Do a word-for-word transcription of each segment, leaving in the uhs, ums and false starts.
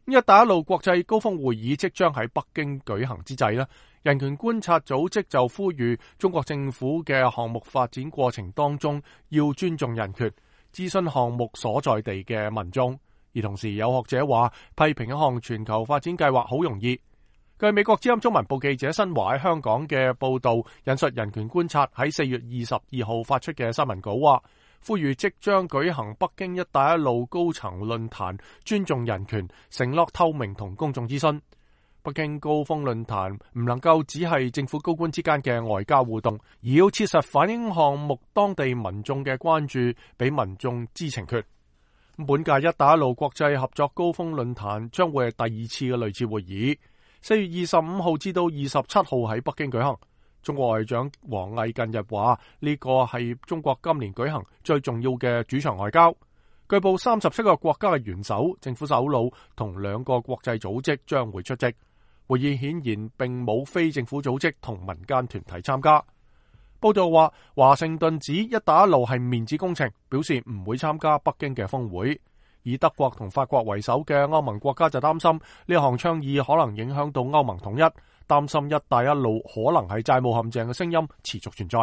一帶一路國際高峰會議即將喺北京舉行之際，人權觀察組織就呼籲中國政府嘅項目發展過程當中要尊重人權，諮詢項目所在地嘅民眾。而同時有學者話，批評一項全球發展計劃好容易。據美國之音中文部記者新華喺香港嘅報道，引述人權觀察喺四月二十二號發出嘅新聞稿話，呼籲即將舉行北京一帶一路高層論壇，尊重人權，承諾透明同公眾諮詢。北京高峰論壇唔能夠只係政府高官之間嘅外交互動，而要切實反映項目當地民眾嘅關注，俾民眾知情權。本屆一帶一路國際合作高峰論壇將會係第二次嘅類似會議，四月二十五號至到二十七號喺北京舉行。中國外長王毅近日話，呢個係中國今年舉行最重要嘅主場外交。據報三十七個國家嘅元首、政府首腦同兩個國際組織將會出席。會議顯然並冇非政府組織同民間團體參加。報道話，華盛頓指一帶一路係面子工程，表示唔會參加北京嘅峰會。以德國同法國為首嘅歐盟國家就擔心呢項倡議可能影響到歐盟統一，擔心一帶一路可能係債務陷阱嘅聲音持續存在。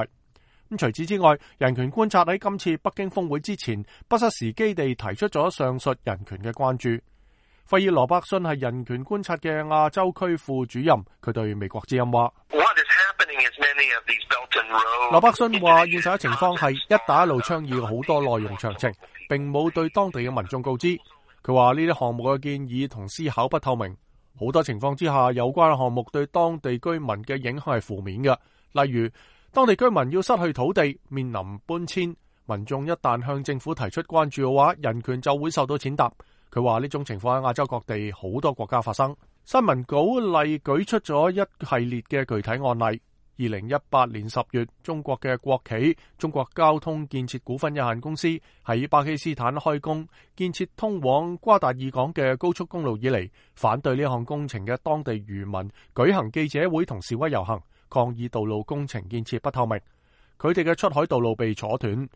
咁除此之外，人權觀察喺今次北京峰會之前，不失時機地提出咗上述人權嘅關注。費爾羅伯遜係人權觀察嘅亞洲區副主任，佢對美國之音話：羅伯遜話，現實嘅情況係一帶一路倡議好多內容詳情，並冇對當地嘅民眾告知。佢話呢啲項目嘅建議同思考不透明，好多情況之下，有關項目對當地居民嘅影響係負面嘅。例如，當地居民要失去土地，面臨搬遷，民眾一旦向政府提出關注嘅話，人權就會受到踐踏。佢話呢種情況喺亞洲各地好多國家發生。新聞稿例舉出咗一系列嘅具體案例。二零一八年十月，中國嘅國企中國交通建設股份有限公司喺巴基斯坦開工建設通往瓜達爾港嘅高速公路以嚟，反對呢項工程嘅當地漁民舉行記者會同示威遊行，抗議道路工程建設不透明。佢哋嘅出海道路被阻斷，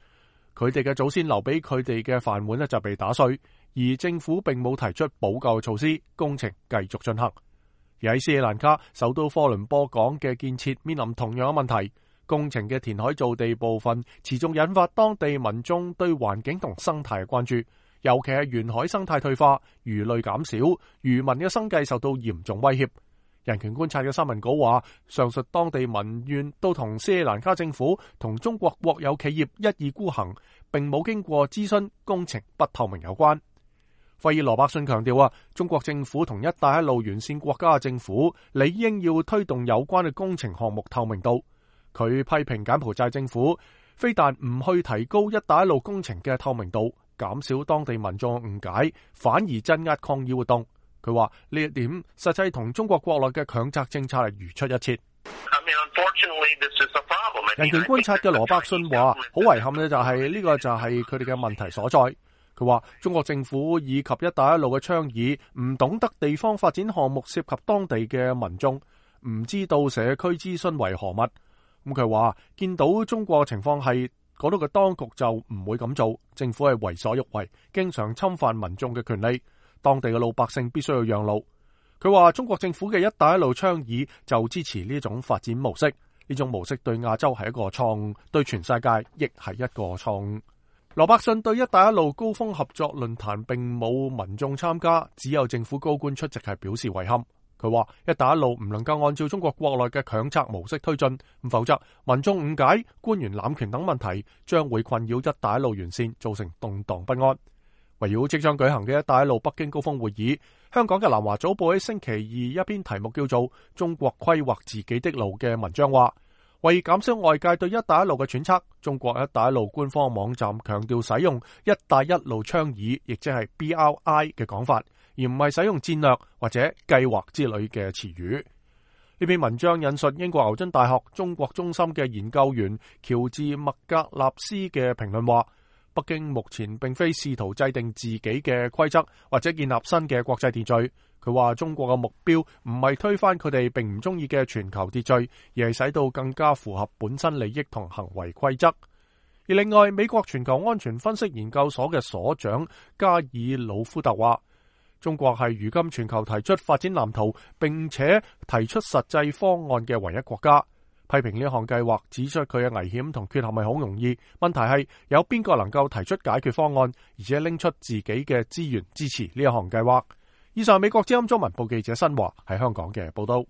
佢哋嘅祖先留俾佢哋嘅飯碗呢就被打碎，而政府並冇提出補救措施，工程繼續進行。而喺斯里蘭卡首都科倫坡港嘅建設面臨同樣嘅問題，工程嘅填海造地部分持續引發當地民眾對環境同生態嘅關注，尤其係沿海生態退化、魚類減少、漁民嘅生計受到嚴重威脅。人權觀察嘅新聞稿話，上述當地民怨都同斯里蘭卡政府同中國國有企業一意孤行，並冇經過諮詢，工程不透明有關。費爾羅伯遜強調啊，中國政府同一帶一路沿線國家嘅政府理應要推動有關嘅工程項目透明度。佢批評柬埔寨政府非但唔去提高一帶一路工程嘅透明度，減少當地民眾誤解，反而鎮壓抗議活動。佢話呢一點實際同中國國內嘅強責政策係如出一轍。人權觀察嘅羅伯遜話，好遺憾嘅就係呢個就係佢哋嘅問題所在。佢話中國政府以及一帶一路嘅倡議唔懂得地方發展項目涉及當地嘅民眾，唔知道社區諮詢為何物。咁佢話見到中國嘅情況係嗰度嘅當局就唔會咁做，政府係為所欲為，經常侵犯民眾嘅權利，當地嘅老百姓必須要讓路。佢話中國政府嘅一帶一路倡議就支持呢種發展模式，呢種模式對亞洲係一個錯誤，對全世界亦係一個錯誤。羅伯遜對一帶一路高峰合作論壇並冇民眾參加，只有政府高官出席，係表示遺憾。佢話一帶一路唔能夠按照中國國內嘅強策模式推進，否則民眾誤解、官員濫權等問題將會困擾一帶一路沿線，造成動盪不安。圍繞即將舉行嘅一帶一路北京高峰會議，香港嘅南華早報喺星期二一篇題目叫做《中國規劃自己的路》嘅文章話，為減少外界對一帶一路嘅揣測，中國一帶一路官方網站強調使用一帶一路倡議，亦即係 B R I 嘅講法，而唔係使用戰略或者計劃之類嘅詞語。呢篇文章引述英國牛津大學中國中心嘅研究員喬治麥格納斯嘅評論話，北京目前並非試圖制定自己嘅規則或者建立新嘅國際秩序。佢話中國嘅目標唔係推翻佢哋並唔中意嘅全球秩序，而係使到更加符合本身利益同行為規則。而另外，美國全球安全分析研究所嘅所長加爾魯夫特話，中國係如今全球提出發展藍圖並且提出實際方案嘅唯一國家。批評呢項計劃，指出佢嘅危險同缺陷係好容易，問題係有邊個能夠提出解決方案，而且拎出自己嘅資源支持呢一項計劃。以上美國之音中文報記者新華喺香港嘅報道。